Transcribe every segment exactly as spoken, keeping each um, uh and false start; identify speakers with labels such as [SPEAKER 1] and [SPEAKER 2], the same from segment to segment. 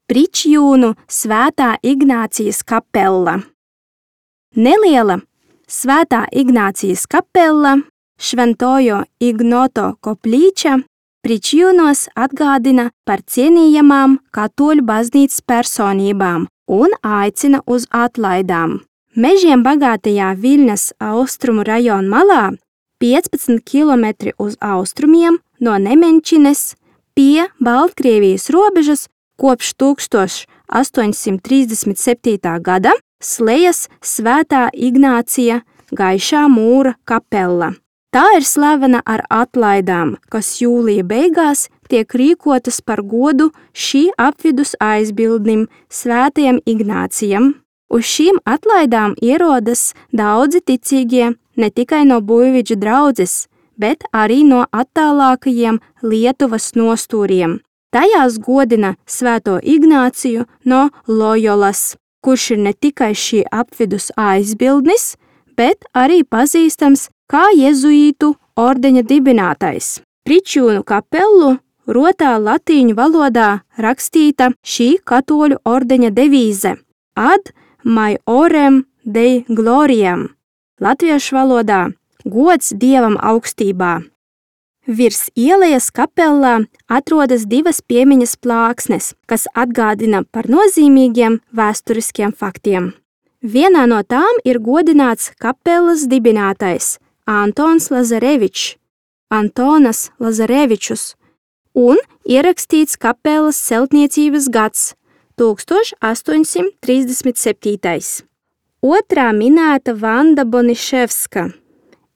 [SPEAKER 1] Pričjūnu Svētā Ignācijas kapella. Neliela Svētā Ignācijas kapella Šventojo Ignoto koplīča Pričjūnos atgādina par cienījamām katoļu baznīcas personībām un aicina uz atlaidām. Mežiem bagātajā Viļņas austrumu rajona malā, piecpadsmit kilometri uz austrumiem no Nemenčines pie Baltkrievijas robežas, kopš tūkstoš astoņsimt trīsdesmit septītā gada slejas Svētā Ignācija Gaišā mūra kapella. Tā ir slavena ar atlaidām, kas jūlija beigās tiek rīkotas par godu šī apvidus aizbildnim Svētajam Ignācijam. Uz šīm atlaidām ierodas daudzi ticīgie ne tikai no Buļviģu draudzes, bet arī no attālākajiem Lietuvas nostūriem. Tajās godina Svēto Ignāciju no Lojolas, kurš ir ne tikai šī apvidus aizbildnis, bet arī pazīstams kā jezuītu ordeņa dibinātais. Pričjūnu kapellu rotā latīņu valodā rakstīta šī katoļu ordeņa devīze Ad maiorem dei gloriam, latviešu valodā gods Dievam augstībā. Virs ielejas kapellā atrodas divas piemiņas plāksnes, kas atgādina par nozīmīgiem vēsturiskiem faktiem. Vienā no tām ir godināts kapellas dibinātais Antons Lazarevičs, Antonas Lazarevičus, un ierakstīts kapellas celtniecības gads tūkstoš astoņsimt trīsdesmit septītais. Otrā minēta Vanda Boniševska,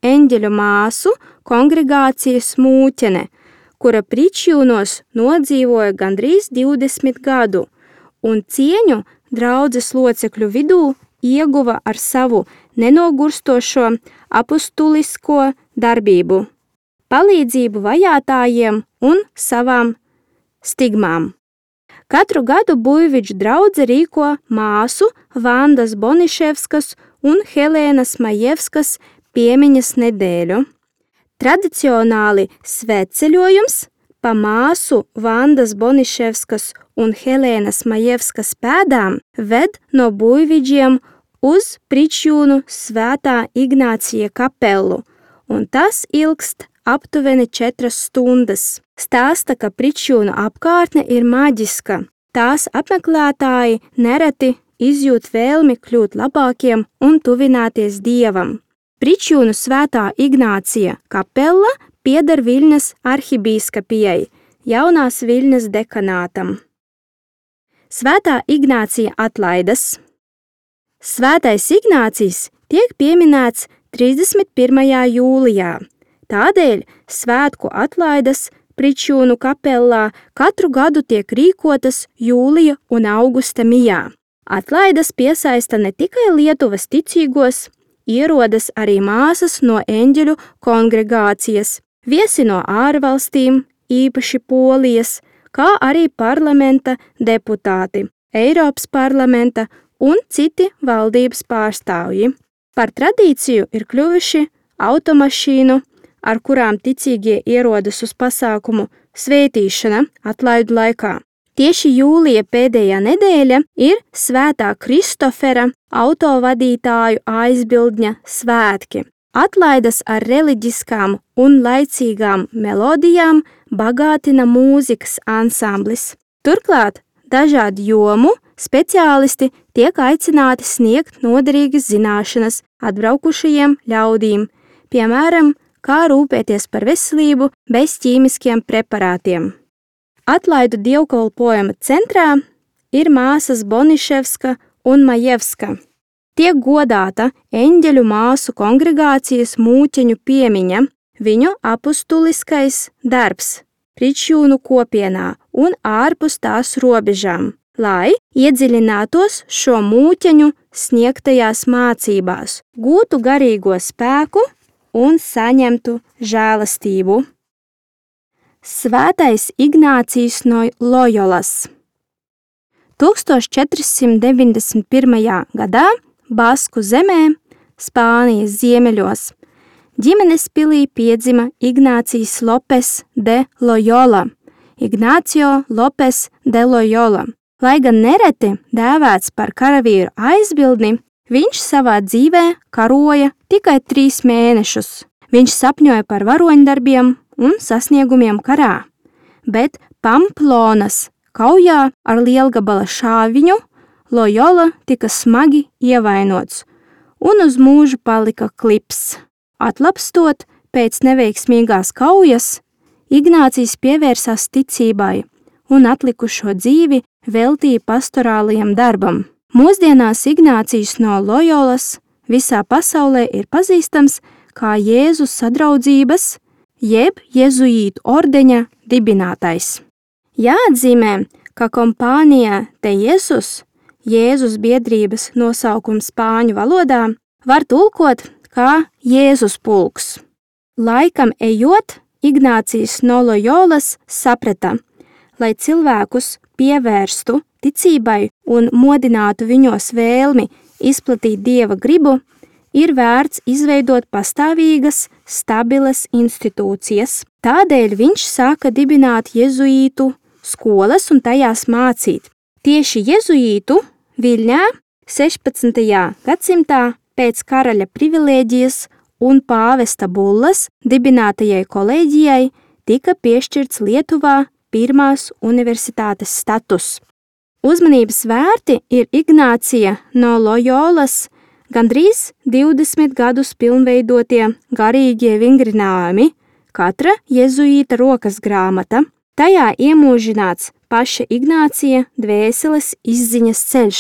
[SPEAKER 1] eņģeļu māsu kongregācijas mūķene, kura Pričjūnos nodzīvoja gandrīz divdesmit gadu, un cieņu draudzes locekļu vidū ieguva ar savu nenogurstošo apustulisko darbību, palīdzību vajātājiem un savām stigmām. Katru gadu Buļviģu draudze rīko māsu Vandas Boniševskas un Helēnas Majevskas piemiņas nedēļu. Tradicionāli svētceļojums pa māsu Vandas Boniševskas un Helēnas Majevskas pēdām ved no Buļviģiem uz Pričjūnu Svētā Ignācija kapellu, un tas ilgst aptuveni četras stundas. Stāsta, ka Pričjūnu apkārtne ir maģiska. Tās apmeklētāji nereti izjūt vēlmi kļūt labākiem un tuvināties Dievam. Pričjūnu Svētā Ignācija kapella pieder Viļņas arhibīskapijai, jaunās Viļņas dekanātam. Svētā Ignācija atlaidas. Svētais Ignācijs tiek pieminēts trīsdesmit pirmajā jūlijā. Tādēļ svētku atlaidas Pričjūnu kapellā katru gadu tiek rīkotas jūlija un augusta mijā. Atlaidas piesaista ne tikai Lietuvas ticīgos, ierodas arī māsas no eņģeļu kongregācijas, viesi no ārvalstīm, īpaši Polijas, kā arī parlamenta deputāti, Eiropas parlamenta un citi valdības pārstāvji. Par tradīciju ir kļuvuši automašīnu, ar kurām ticīgie ierodas uz pasākumu svētīšana atlaidu laikā. Tieši jūlija pēdējā nedēļa ir Svētā Kristofera autovadītāju aizbildņa svētki. Atlaidas ar reliģiskām un laicīgām melodijām bagātina mūzikas ansamblis. Turklāt dažādu jomu speciālisti tiek aicināti sniegt noderīgas zināšanas atbraukušajiem ļaudīm, piemēram, kā rūpēties par veselību bez ķīmiskiem preparātiem. Atlaidu dievkalpojuma centrā ir māsas Boniševska un Majevska. Tiek godāta eņģeļu māsu kongregācijas mūķeņu piemiņa, viņu apustuliskais darbs Pričjūnu kopienā un ārpus tās robežām, lai iedziļinātos šo mūķeņu sniegtajās mācībās, gūtu garīgo spēku un saņemtu žēlastību. Svētais Ignācijs no Lojolas. tūkstoš četri simt deviņdesmit pirmajā gadā Basku zemē, Spānijas ziemeļos, ģimenes pilī piedzima Ignācijs Lopes de Lojola, Ignacio Lopes de Lojola, Lai gan nereti dēvēts par karavīru aizbildni, viņš savā dzīvē karoja tikai trīs mēnešus. Viņš sapņoja par varoņdarbiem un sasniegumiem karā, bet Pamplonas kaujā ar lielgabala šāviņu Lojola tika smagi ievainots un uz mūžu palika klips. Atlapstot pēc neveiksmīgās kaujas, Ignācijs pievērsās ticībai un atlikušo dzīvi veltīja pastorālajam darbam. Mūsdienās Ignācijs no Lojolas visā pasaulē ir pazīstams kā Jēzus sadraudzības, jeb jezuītu ordeņa dibinātais. Jāatzīmē, ka kompānija de Jesus, Jēzus biedrības nosaukums spāņu valodā, var tulkot kā Jēzus pulks. Laikam ejot, Ignācijs no Lojolas saprata, lai cilvēkus pievērstu ticībai un modinātu viņos vēlmi izplatīt Dieva gribu, ir vērts izveidot pastāvīgas, stabilas institūcijas. Tādēļ viņš sāka dibināt jezuītu skolas un tajās mācīt. Tieši jezuītu Viļņā sešpadsmitajā gadsimtā pēc karaļa privilēģijas un pāvesta bullas dibinātajai kolēģijai tika piešķirts Lietuvā pirmās universitātes status. Uzmanības vērti ir Ignācija no Lojolas gandrīz divdesmit gadus pilnveidotie garīgie vingrinājumi, katra jezuīta rokas grāmata. Tajā iemūžināts paša Ignācija dvēseles izziņas ceļš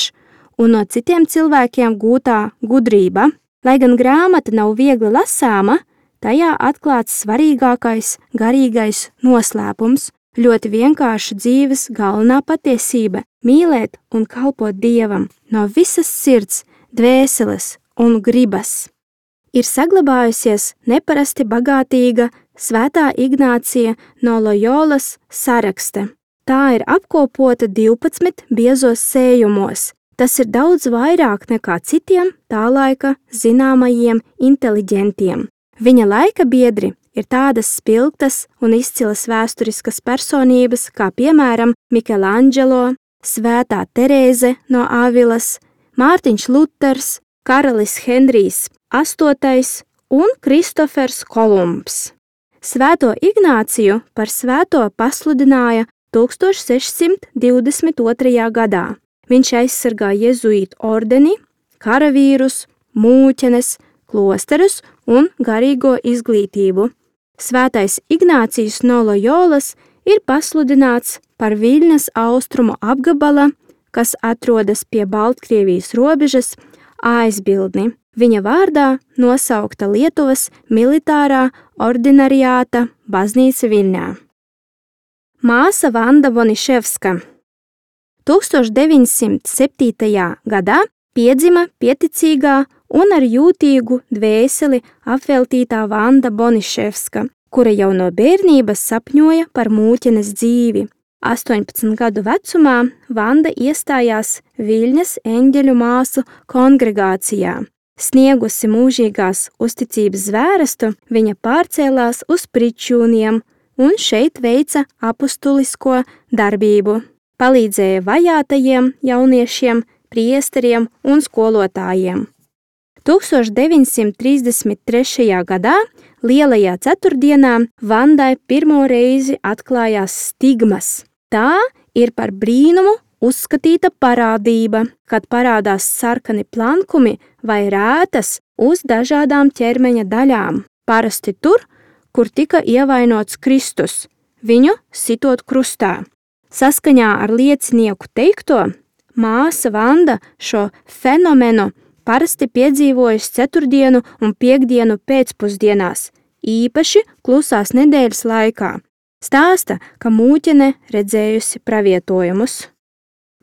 [SPEAKER 1] un no citiem cilvēkiem gūtā gudrība. Lai gan grāmata nav viegli lasāma, tajā atklāts svarīgākais garīgais noslēpums, ļoti vienkārša dzīves galvenā patiesība – mīlēt un kalpot Dievam no visas sirds, dvēseles un gribas. Ir saglabājusies neparasti bagātīga Svētā Ignācija no Lojolas sarakste. Tā ir apkopota divpadsmit biezos sējumos. Tas ir daudz vairāk nekā citiem tā laika zināmajiem inteliģentiem. Viņa laika biedri ir tādas spilgtas un izcilas vēsturiskas personības, kā piemēram Mikelandželo, Svētā Terēze no Avilas, Mārtiņš Luters, karalis Henrijs astotais un Kristofers Kolumbs. Svēto Ignāciju par svēto pasludināja tūkstoš sešsimt divdesmit otrajā gadā. Viņš aizsargā jezuītu ordeni, karavīrus, mūķenes, klosterus un garīgo izglītību. Svētais Ignācijs no Lojolas ir pasludināts par Viļņas austrumu apgabala, kas atrodas pie Baltkrievijas robežas, aizbildni. Viņa vārdā nosaukta Lietuvas militārā ordinariāta baznīca Viļņā. Māsa Vanda Boniševska tūkstoš deviņsimt septītajā gadā piedzima pieticīgā un ar jūtīgu dvēseli apveltītā Vanda Boniševska, kura jau no bērnības sapņoja par mūķenes dzīvi. astoņpadsmit gadu vecumā Vanda iestājās Viļņas eņģeļu māsu kongregācijā. Sniegusi mūžīgās uzticības zvērstu, viņa pārcēlās uz Pričūniem un šeit veica apustulisko darbību. Palīdzēja vajātajiem jauniešiem, priesteriem un skolotājiem. tūkstoš deviņsimt trīsdesmit trešajā gadā, Lielajā ceturtdienā, Vandai pirmo reizi atklājās stigmas. Tā ir par brīnumu uzskatīta parādība, kad parādās sarkani plankumi vai rētas uz dažādām ķermeņa daļām, parasti tur, kur tika ievainots Kristus, viņu sitot krustā. Saskaņā ar liecinieku teikto, māsa Vanda šo fenomenu parasti piedzīvojas ceturtdienu un piekdienu pēcpusdienās, īpaši klusās nedēļas laikā. Stāsta, ka mūķene redzējusi pravietojumus.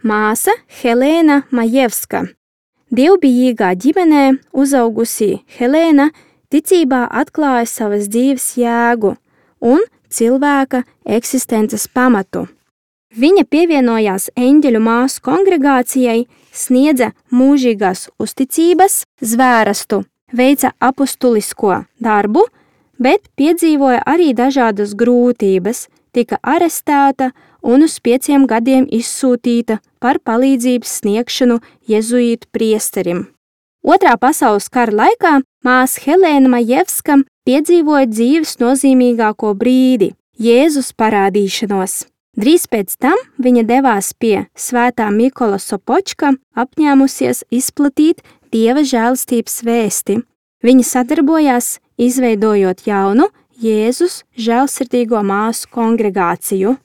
[SPEAKER 1] Māsa Helēna Majevska. Dievbijīgā ģimenē uzaugusi Helēna ticībā atklāja savas dzīves jēgu un cilvēka eksistences pamatu. Viņa pievienojās eņģeļu māsu kongregācijai, sniedza mūžīgās uzticības zvērstu, veica apustulisko darbu, bet piedzīvoja arī dažādas grūtības, tika arestēta un uz pieciem gadiem izsūtīta par palīdzības sniegšanu jezuītu priesterim. Otrā pasaules kara laikā māsa Helēna Majevska piedzīvoja dzīves nozīmīgāko brīdi – Jēzus parādīšanos. Drīz pēc tam viņa devās pie svētā Mikola Sopočka, apņēmusies izplatīt Dieva žēlastības vēsti. Viņa sadarbojās, izveidojot jaunu Jēzus žēlsirdīgo māsu kongregāciju.